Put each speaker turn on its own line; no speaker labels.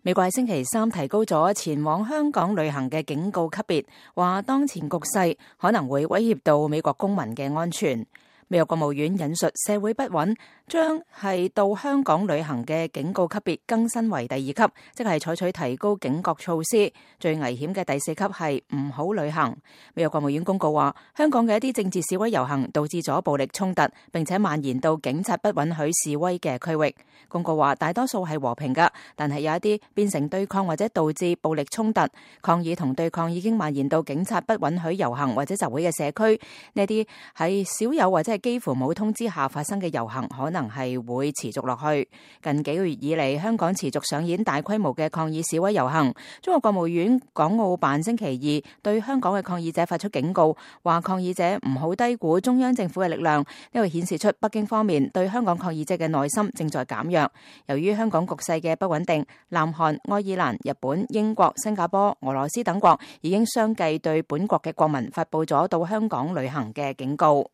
美國喺星期三提高咗前往香港旅行嘅警告級別，話當前局勢可能會威脅到美國公民嘅安全。美國國務院引述社會不穩，將係到香港旅行嘅警告級別更新為第2級，即係採取提高警覺措施。最危險嘅第4級係唔好旅行。美國國務院公告話，香港嘅一啲政治示威遊行導致咗暴力衝突，並且蔓延到警察不允許示威嘅區域。公告話，大多數係和平㗎，但係有一啲變成對抗或者導致暴力衝突。抗議同對抗已經蔓延到警察不允許遊行或者集會嘅社區。呢啲係少有或者係幾乎冇通知下發生嘅遊行，可能係會持續落去。近幾個月以嚟，香港持續上演大規模嘅抗議示威遊行。中國國務院港澳辦星期二對香港嘅抗議者發出警告，話抗議者唔好低估中央政府嘅力量。呢個顯示出北京方面對香港抗議者嘅耐心正在減弱。由於香港局勢嘅不穩定，南韓、愛爾蘭、日本、英國、新加坡、俄羅斯等國已經相繼對本國嘅國民發佈咗到香港旅行嘅警告。